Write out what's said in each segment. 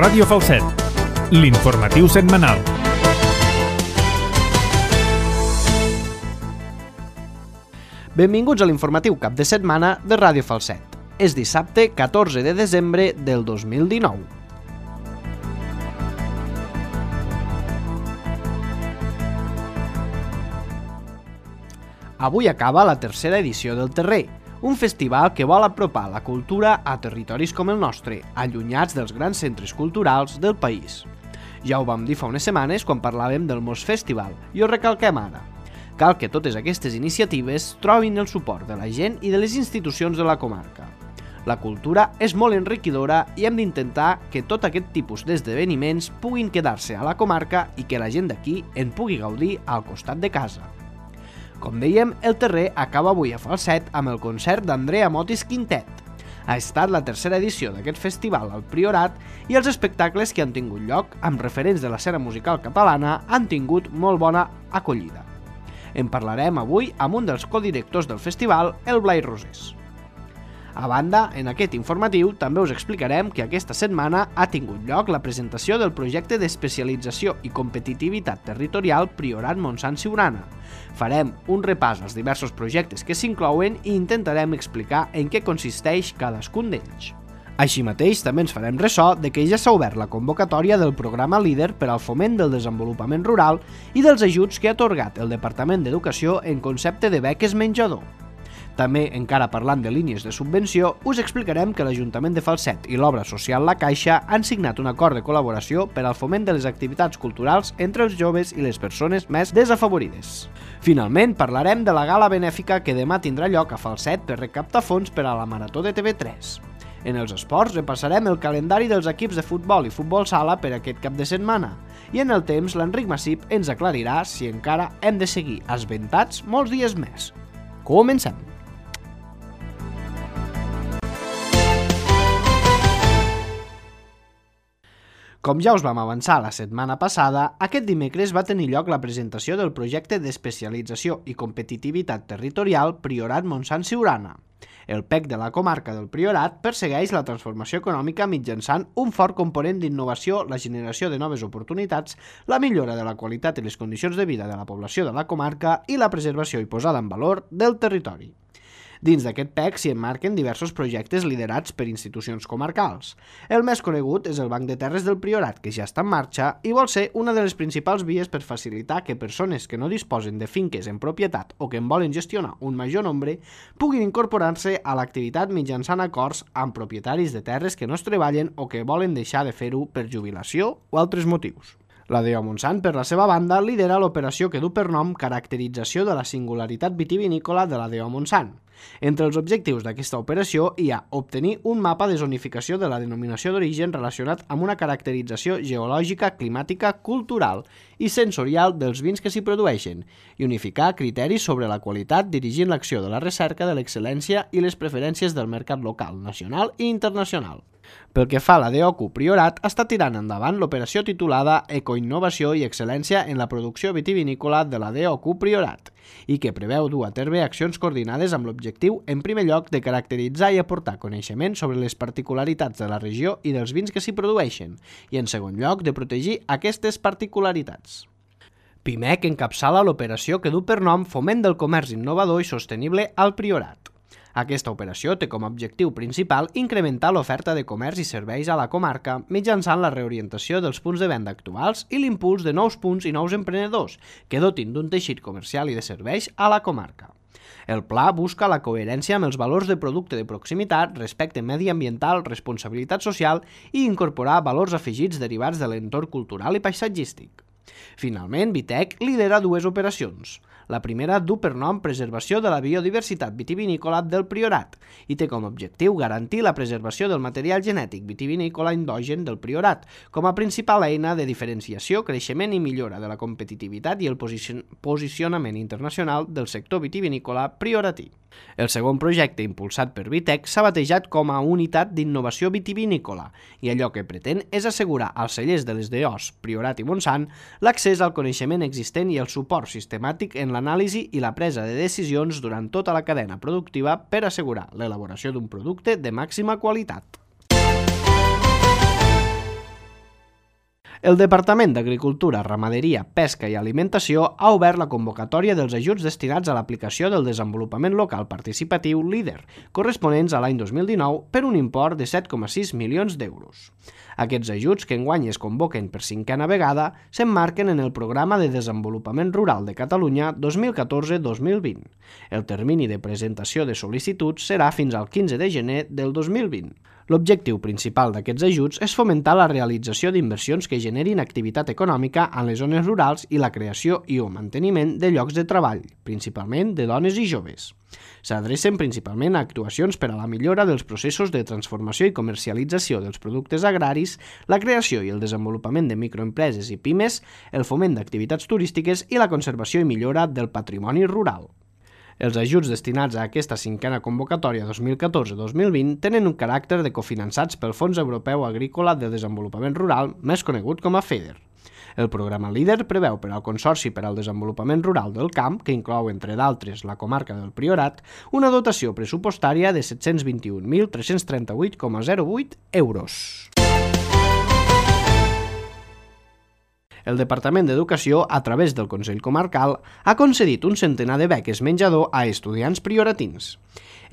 Ràdio Falset, l'informatiu setmanal. Benvinguts a l'informatiu cap de setmana de Ràdio Falset. És dissabte 14 de desembre del 2019. Avui acaba la tercera edició del Terrer, un festival que vol apropar la cultura a territoris com el nostre, allunyats dels grans centres culturals del país. Ja ho vam dir fa unes setmanes quan parlàvem del Mos Festival, i ho recalquem ara. Cal que totes aquestes iniciatives trobin el suport de la gent i de les institucions de la comarca. La cultura és molt enriquidora i hem d'intentar que tot aquest tipus d'esdeveniments puguin quedar-se a la comarca i que la gent d'aquí en pugui gaudir al costat de casa. Com dèiem, el Terrer acaba avui a Falset amb el concert d'Andrea Motis Quintet. Ha estat la tercera edició d'aquest festival al Priorat i els espectacles que han tingut lloc amb referents de l'escena musical catalana han tingut molt bona acollida. En parlarem avui amb un dels codirectors del festival, el Blai Rosés. A banda, en aquest informatiu també us explicarem que aquesta setmana ha tingut lloc la presentació del projecte d'especialització i competitivitat territorial Priorat Montsant Siurana. Farem un repàs als diversos projectes que s'inclouen i intentarem explicar en què consisteix cadascun d'ells. Així mateix, també ens farem ressò de que ja s'ha obert la convocatòria del programa LEADER per al foment del desenvolupament rural i dels ajuts que ha atorgat el Departament d'Educació en concepte de beques menjador. També, encara parlant de línies de subvenció, us explicarem que l'Ajuntament de Falset i l'Obra Social La Caixa han signat un acord de col·laboració per al foment de les activitats culturals entre els joves i les persones més desafavorides. Finalment, parlarem de la gala benèfica que demà tindrà lloc a Falset per recaptar fons per a la Marató de TV3. En els esports repassarem el calendari dels equips de futbol i futbol sala per aquest cap de setmana. I en el temps, l'Enric Massip ens aclarirà si encara hem de seguir esventats molts dies més. Comencem! Com ja us vam avançar la setmana passada, aquest dimecres va tenir lloc la presentació del projecte d'especialització i competitivitat territorial Priorat Montsant Siurana. El PEC de la comarca del Priorat persegueix la transformació econòmica mitjançant un fort component d'innovació, la generació de noves oportunitats, la millora de la qualitat i les condicions de vida de la població de la comarca i la preservació i posada en valor del territori. Dins d'aquest PEC s'hi emmarquen diversos projectes liderats per institucions comarcals. El més conegut és el Banc de Terres del Priorat, que ja està en marxa i vol ser una de les principals vies per facilitar que persones que no disposen de finques en propietat o que en volen gestionar un major nombre puguin incorporar-se a l'activitat mitjançant acords amb propietaris de terres que no es treballen o que volen deixar de fer-ho per jubilació o altres motius. La DO Montsant, per la seva banda, lidera l'operació que du per nom Caracterització de la singularitat vitivinícola de la DO Montsant. Entre els objectius d'aquesta operació hi ha obtenir un mapa de zonificació de la denominació d'origen relacionat amb una caracterització geològica, climàtica, cultural i sensorial dels vins que s'hi produeixen i unificar criteris sobre la qualitat dirigint l'acció de la recerca de l'excel·lència i les preferències del mercat local, nacional i internacional. Pel que fa a la DOQ Priorat, està tirant endavant l'operació titulada Ecoinnovació i Excel·lència en la producció vitivinícola de la DOQ Priorat i que preveu dur a terme accions coordinades amb l'objectiu, en primer lloc, de caracteritzar i aportar coneixement sobre les particularitats de la regió i dels vins que s'hi produeixen i, en segon lloc, de protegir aquestes particularitats. PIMEC encapçala l'operació que du per nom Foment del Comerç Innovador i Sostenible al Priorat. Aquesta operació té com a objectiu principal incrementar l'oferta de comerç i serveis a la comarca mitjançant la reorientació dels punts de venda actuals i l'impuls de nous punts i nous emprenedors que dotin d'un teixit comercial i de serveis a la comarca. El pla busca la coherència amb els valors de producte de proximitat, respecte mediambiental, responsabilitat social i incorporar valors afegits derivats de l'entorn cultural i paisatgístic. Finalment, Vitec lidera dues operacions. La primera du per nom Preservació de la biodiversitat vitivinícola del Priorat i té com a objectiu garantir la preservació del material genètic vitivinícola endogen del Priorat com a principal eina de diferenciació, creixement i millora de la competitivitat i el posicionament internacional del sector vitivinícola prioratí. El segon projecte impulsat per Vitec s'ha batejat com a Unitat d'Innovació Vitivinícola i allò que pretén és assegurar als cellers de les DOs Priorat i Montsant l'accés al coneixement existent i el suport sistemàtic en l'anàlisi i la presa de decisions durant tota la cadena productiva per assegurar l'elaboració d'un producte de màxima qualitat. El Departament d'Agricultura, Ramaderia, Pesca i Alimentació ha obert la convocatòria dels ajuts destinats a l'aplicació del desenvolupament local participatiu LEADER, corresponents a l'any 2019 per un import de 7,6 milions d'euros. Aquests ajuts, que enguany es convoquen per 5a vegada, s'emmarquen en el Programa de Desenvolupament Rural de Catalunya 2014-2020. El termini de presentació de sol·licituds serà fins al 15 de gener del 2020. L'objectiu principal d'aquests ajuts és fomentar la realització d'inversions que generin activitat econòmica en les zones rurals i la creació i o manteniment de llocs de treball, principalment de dones i joves. S'adrecen principalment a actuacions per a la millora dels processos de transformació i comercialització dels productes agraris, la creació i el desenvolupament de microempreses i pimes, el foment d'activitats turístiques i la conservació i millora del patrimoni rural. Els ajuts destinats a aquesta 5a convocatòria 2014-2020 tenen un caràcter de cofinançats pel Fons Europeu Agrícola de Desenvolupament Rural, més conegut com a FEDER. El programa LEADER preveu per al Consorci per al Desenvolupament Rural del Camp, que inclou, entre d'altres, la comarca del Priorat, una dotació pressupostària de 721.338,08 euros. El Departament d'Educació, a través del Consell Comarcal, ha concedit un centenar de beques menjador a estudiants prioratins.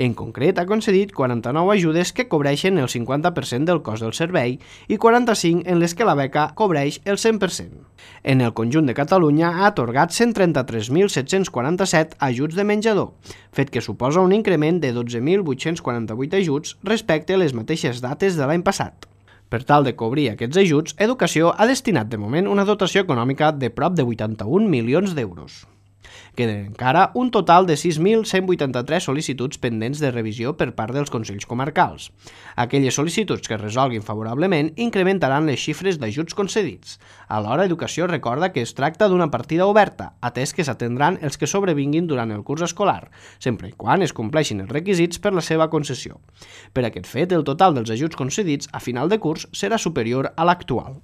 En concret, ha concedit 49 ajudes que cobreixen el 50% del cost del servei i 45 en les que la beca cobreix el 100%. En el conjunt de Catalunya ha atorgat 133.747 ajuts de menjador, fet que suposa un increment de 12.848 ajuts respecte a les mateixes dates de l'any passat. Per tal de cobrir aquests ajuts, Educació ha destinat de moment una dotació econòmica de prop de 81 milions d'euros. Queden encara un total de 6.183 sol·licituds pendents de revisió per part dels Consells Comarcals. Aquelles sol·licituds que es resolguin favorablement incrementaran les xifres d'ajuts concedits. Alhora, Educació recorda que es tracta d'una partida oberta, atès que s'atendran els que sobrevinguin durant el curs escolar, sempre i quan es compleixin els requisits per la seva concessió. Per aquest fet, el total dels ajuts concedits a final de curs serà superior a l'actual.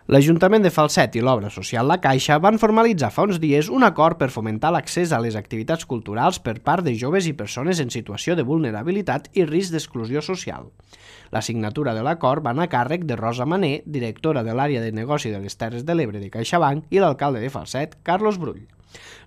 L'Ajuntament de Falset i l'Obra Social La Caixa van formalitzar fa uns dies un acord per fomentar l'accés a les activitats culturals per part de joves i persones en situació de vulnerabilitat i risc d'exclusió social. La signatura de l'acord va anar a càrrec de Rosa Mané, directora de l'àrea de negoci de les Terres de l'Ebre de CaixaBank, i l'alcalde de Falset, Carlos Brull.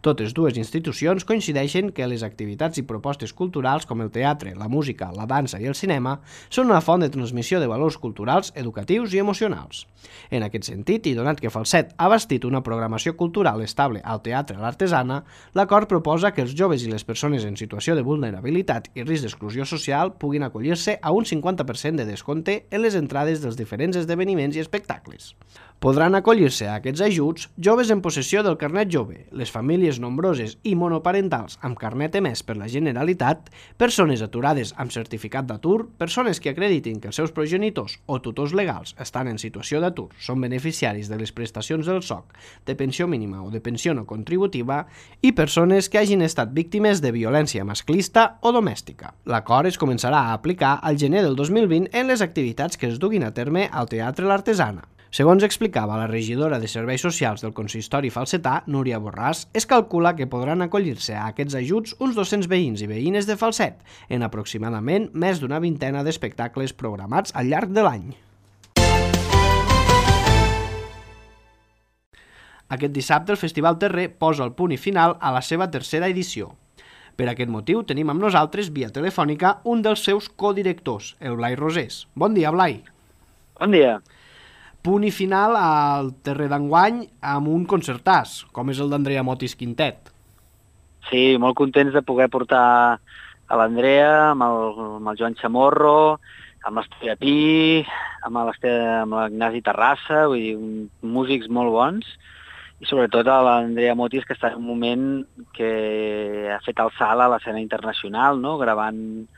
Totes dues institucions coincideixen que les activitats i propostes culturals com el teatre, la música, la dansa i el cinema són una font de transmissió de valors culturals, educatius i emocionals. En aquest sentit, i donat que Falset ha bastit una programació cultural estable al Teatre a l'Artesana, l'acord proposa que els joves i les persones en situació de vulnerabilitat i risc d'exclusió social puguin acollir-se a un 50% de descompte en les entrades dels diferents esdeveniments i espectacles. Podran acollir-se a aquests ajuts joves en possessió del carnet jove, les famílies nombroses i monoparentals amb carnet emès per la Generalitat, persones aturades amb certificat d'atur, persones que acreditin que els seus progenitors o tutors legals estan en situació d'atur, són beneficiaris de les prestacions del SOC, de pensió mínima o de pensió no contributiva, i persones que hagin estat víctimes de violència masclista o domèstica. L'acord es començarà a aplicar al gener del 2020 en les activitats que es duguin a terme al Teatre l'Artesana. Segons explicava la regidora de Serveis Socials del Consistori falsetà, Núria Borràs, es calcula que podran acollir-se a aquests ajuts uns 200 veïns i veïnes de Falset, en aproximadament més d'una vintena d'espectacles programats al llarg de l'any. Aquest dissabte el Festival Terrer posa el punt i final a la seva tercera edició. Per aquest motiu tenim amb nosaltres, via telefònica, un dels seus codirectors, el Blai Rosés. Bon dia, Blai. Bon dia. Punt i final al Terrer d'enguany amb un concertàs, com és el d'Andrea Motis Quintet. Sí, molt contents de poder portar a l'Andrea, amb el Joan Chamorro, amb l'Esteve Pi, amb l'Ignasi Terrassa, vull dir, músics molt bons, i sobretot a l'Andrea Motis, que està en un moment que ha fet el salt a l'escena internacional, no? Gravant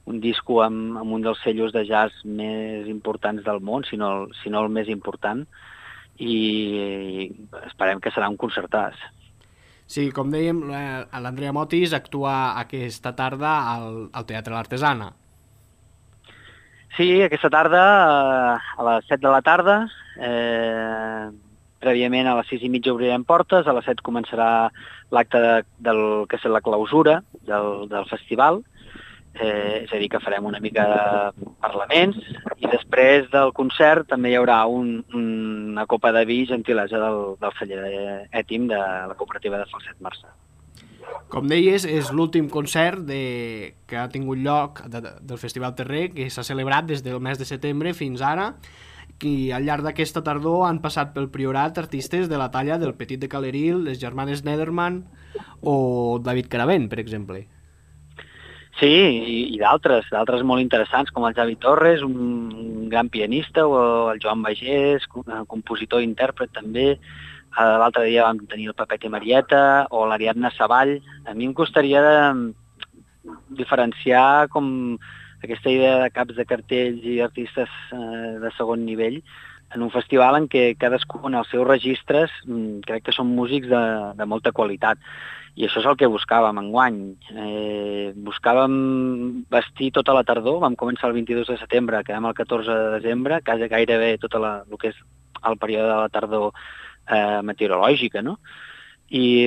un disco amb un dels sellos de jazz més importants del món, si no el més important, i esperem que serà un concertàs. Sí, com dèiem, l'Andrea Motis actua aquesta tarda al Teatre l'Artesana. Sí, aquesta tarda, a les 7 de la tarda, prèviament a les 6:30 obrirem portes, a les 7 començarà l'acte del que és la clausura del festival. és a dir, que farem una mica de parlaments i després del concert també hi haurà una copa de vi gentilesa del celler Ètim de la cooperativa de Falset Marçà. Com deies, és l'últim concert que ha tingut lloc del Festival Terrer, que s'ha celebrat des del mes de setembre fins ara, i al llarg d'aquesta tardor han passat pel Priorat artistes de la talla del Petit de Caleril, les germanes Nederman o David Caravent, per exemple. Sí, i d'altres molt interessants, com el Javi Torres, un gran pianista, o el Joan Bagés, compositor i intèrpret també. L'altre dia vam tenir el Pepet i Marieta, o l'Ariadna Savall. A mi em costaria diferenciar com aquesta idea de caps de cartells i artistes de segon nivell en un festival en què cadascú en els seus registres crec que són músics de molta qualitat. I això és el que buscàvem enguany. Buscàvem vestir tota la tardor, vam començar el 22 de setembre, acabem el 14 de desembre, gairebé tot el que és el període de la tardor meteorològica, no? I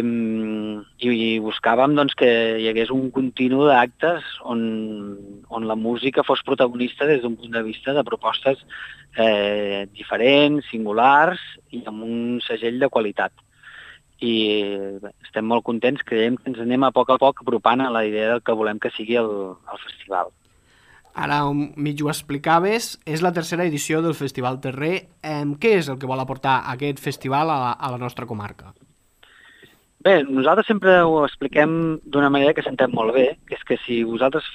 buscàvem doncs, que hi hagués un continu d'actes on la música fos protagonista des d'un punt de vista de propostes diferents, singulars i amb un segell de qualitat. I estem molt contents, creiem que ens anem a poc apropant a la idea del que volem que sigui el festival. Ara mig ho explicaves, és la tercera edició del Festival Terrer. Què és el que vol aportar aquest festival a la nostra comarca? Bé, nosaltres sempre ho expliquem d'una manera que s'entén molt bé, que és que si vosaltres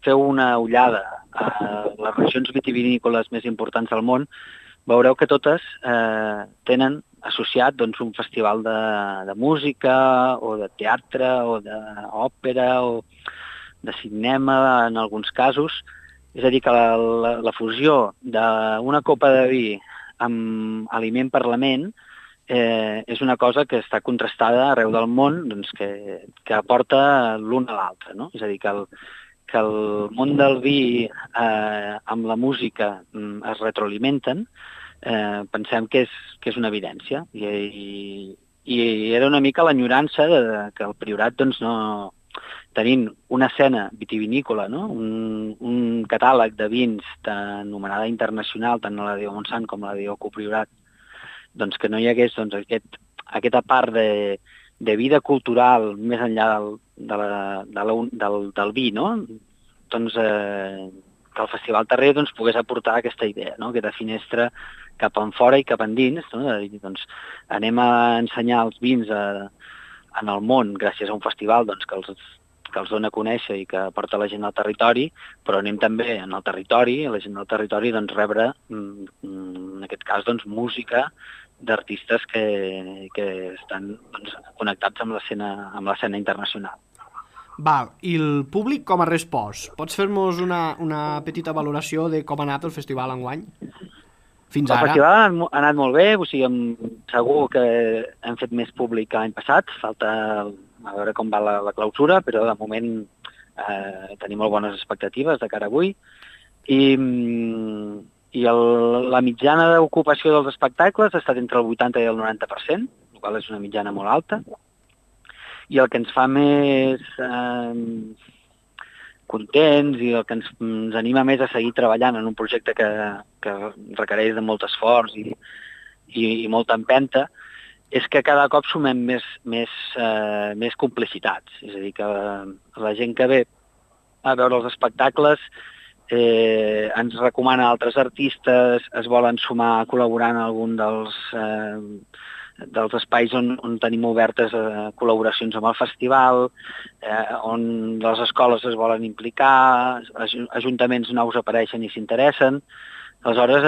feu una ullada a les regions vitivinícoles més importants del món, veureu que totes tenen associat doncs, un festival de música o de teatre o d'òpera o de cinema en alguns casos. És a dir, que la fusió d'una copa de vi amb aliment parlament és una cosa que està contrastada arreu del món, doncs, que aporta l'un a l'altre, no? És a dir, que el món del vi amb la música es retroalimenten, pensem que és una evidència. I era una mica l'enyorança que el Priorat, doncs, no, tenint una escena vitivinícola, no? un catàleg de vins d'anomenada internacional, tant la de Montsant com la de Priorat, doncs que no hi hagués doncs, aquesta part de vida cultural més enllà del vi, no? Doncs que el Festival Terrer doncs, pogués aportar aquesta idea, no? Aquesta finestra cap enfora i cap endins, no? Doncs, anem a ensenyar els vins en el món gràcies a un festival doncs, que els dona a conèixer i que porta la gent al territori, però anem també en el territori, la gent del territori doncs, rebre, en aquest cas, doncs, música d'artistes que estan doncs, connectats amb l'escena internacional. Val, i el públic com ha respost? Pots fer-nos una petita valoració de com ha anat el festival enguany? Fins ara? El festival ha anat molt bé, o sigui, segur que hem fet més públic que l'any passat, falta a veure com va la clausura, però de moment tenim molt bones expectatives de cara a avui. I la mitjana d'ocupació dels espectacles ha estat entre el 80 i el 90%, el qual és una mitjana molt alta. I el que ens fa més contents i el que ens anima més a seguir treballant en un projecte que requereix de molt esforç i molta empenta és que cada cop sumem més complicitats. És a dir, que la gent que ve a veure els espectacles ens recomana altres artistes, es volen sumar a col·laborar en algun dels espais on tenim obertes col·laboracions amb el festival, on les escoles es volen implicar, ajuntaments nous apareixen i s'interessen. Aleshores,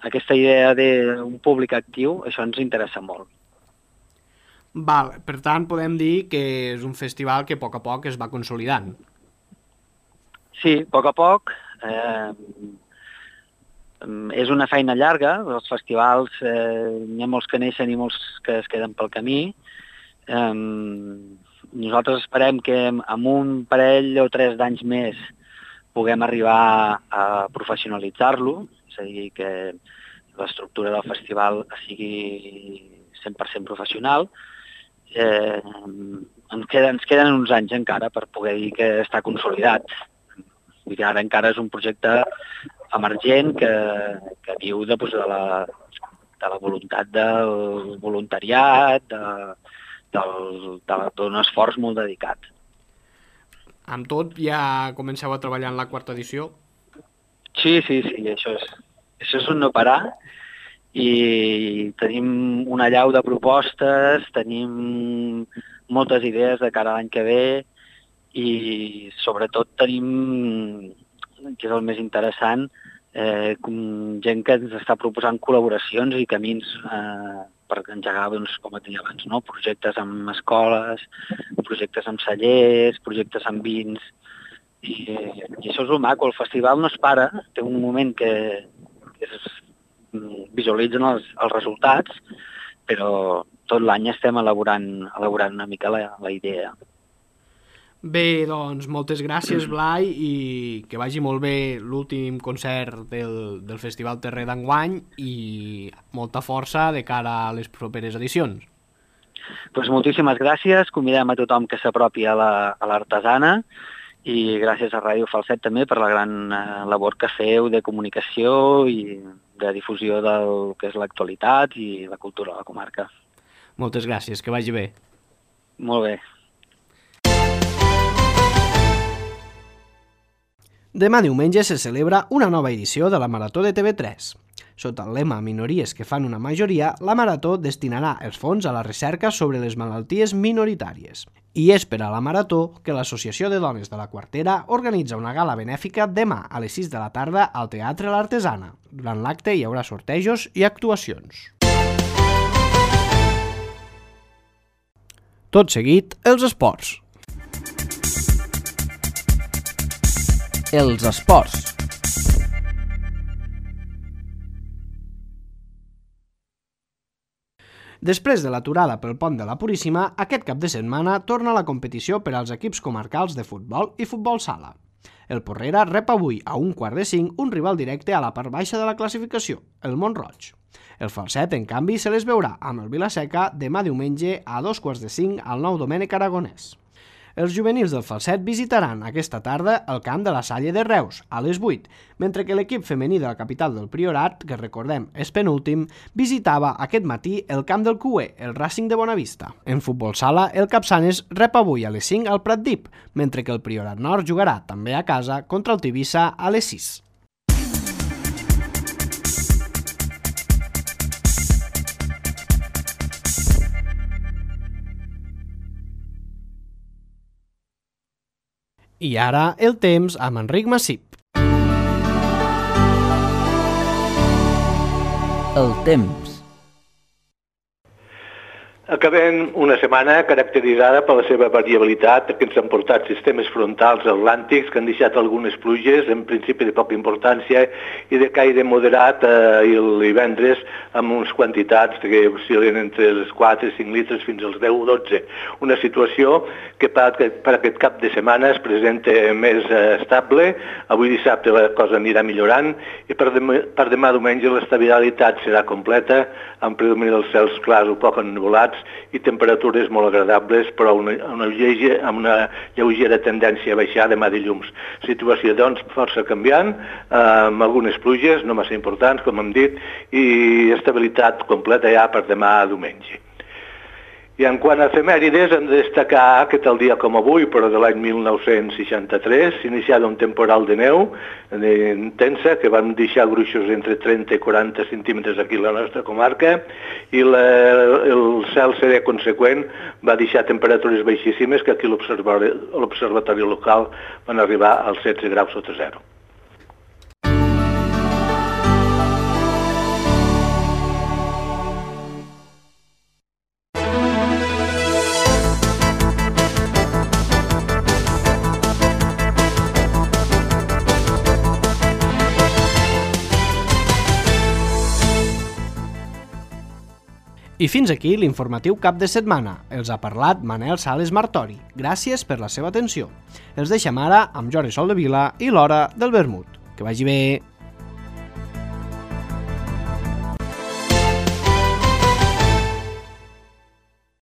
aquesta idea d'un públic actiu, això ens interessa molt. Val, per tant, podem dir que és un festival que a poc es va consolidant. Sí, a poc. És una feina llarga, els festivals n'hi ha molts que neixen i molts que es queden pel camí. Nosaltres esperem que amb un parell o 3 d'anys més puguem arribar a professionalitzar-lo, és a dir, que l'estructura del festival sigui 100% professional. En ens queden uns anys encara per poder dir que està consolidat. Vull dir, ara encara és un projecte emergent que viu de la voluntat del voluntariat, d'un esforç molt dedicat. Amb tot, ja comenceu a treballar en la quarta edició? Sí, això és un no parar i tenim una allau de propostes, tenim moltes idees de cara a l'any que ve i sobretot tenim, que és el més interessant, gent que ens està proposant col·laboracions i camins per engegar, doncs, com et deia abans, no? Projectes amb escoles, projectes amb cellers, projectes amb vins, i això és el maco. El festival no es para, té un moment que visualitzen els resultats, però tot l'any estem elaborant una mica la idea. Bé, doncs, moltes gràcies, Blai, i que vagi molt bé l'últim concert del Festival Terrer d'enguany i molta força de cara a les properes edicions. Doncs moltíssimes gràcies, convidem a tothom que s'apropi a l'Artesana i gràcies a Ràdio Falset també per la gran labor que feu de comunicació i de difusió del que és l'actualitat i la cultura de la comarca. Moltes gràcies, que vagi bé. Molt bé. Demà diumenge se celebra una nova edició de la Marató de TV3. Sota el lema Minories que fan una majoria, la Marató destinarà els fons a la recerca sobre les malalties minoritàries. I és per a la Marató que l'Associació de Dones de la Quartera organitza una gala benèfica demà a les 6 de la tarda al Teatre L'Artesana. Durant l'acte hi haurà sortejos i actuacions. Tot seguit, els esports. Els esports. Després de l'aturada pel pont de la Puríssima, aquest cap de setmana torna la competició per als equips comarcals de futbol i futbol sala. El Porrera rep avui a 4:45 un rival directe a la part baixa de la classificació, el Mont-roig. El Falset, en canvi, se les veurà amb el Vila-seca demà diumenge a 4:45 al Nou Domènec Aragonès. Els juvenils del Falset visitaran aquesta tarda el camp de la Salle de Reus, a les 8, mentre que l'equip femení de la capital del Priorat, que recordem és penúltim, visitava aquest matí el camp del Cué, el Racing de Bonavista. En futbol sala, el Capçanes rep avui a les 5 al Pratdip, mentre que el Priorat Nord jugarà també a casa contra el Tivissa a les 6. I ara el temps amb Enric Massip. El temps. Acabem una setmana caracteritzada per la seva variabilitat, que ens han portat sistemes frontals atlàntics que han deixat algunes pluges, en principi de poca importància, i de caire moderat i el divendres amb unes quantitats que oscil·len entre els 4 i 5 litres fins als 10 o 12. Una situació que per aquest cap de setmana es presenta més estable. Avui dissabte la cosa anirà millorant i per demà diumenge l'estabilitat serà completa, amb predomini dels cels clars o poc ennuvolats i temperatures molt agradables, però amb una lleugera tendència a baixar demà dilluns. Situació, doncs, força canviant, amb algunes pluges, no massa importants, com hem dit, i estabilitat completa ja per demà diumenge. I en quant a efemèrides, hem de destacar que tal dia com avui, però de l'any 1963, s'iniciava un temporal de neu intensa que van deixar gruixos entre 30 i 40 centímetres aquí a la nostra comarca i el cel serè conseqüent va deixar temperatures baixíssimes que aquí a l'observatori local van arribar als 16 graus sota zero. I fins aquí l'informatiu cap de setmana. Els ha parlat Manel Sales Martori. Gràcies per la seva atenció. Els deixem ara amb Jordi Soldevila i l'Hora del Vermut. Que vagi bé!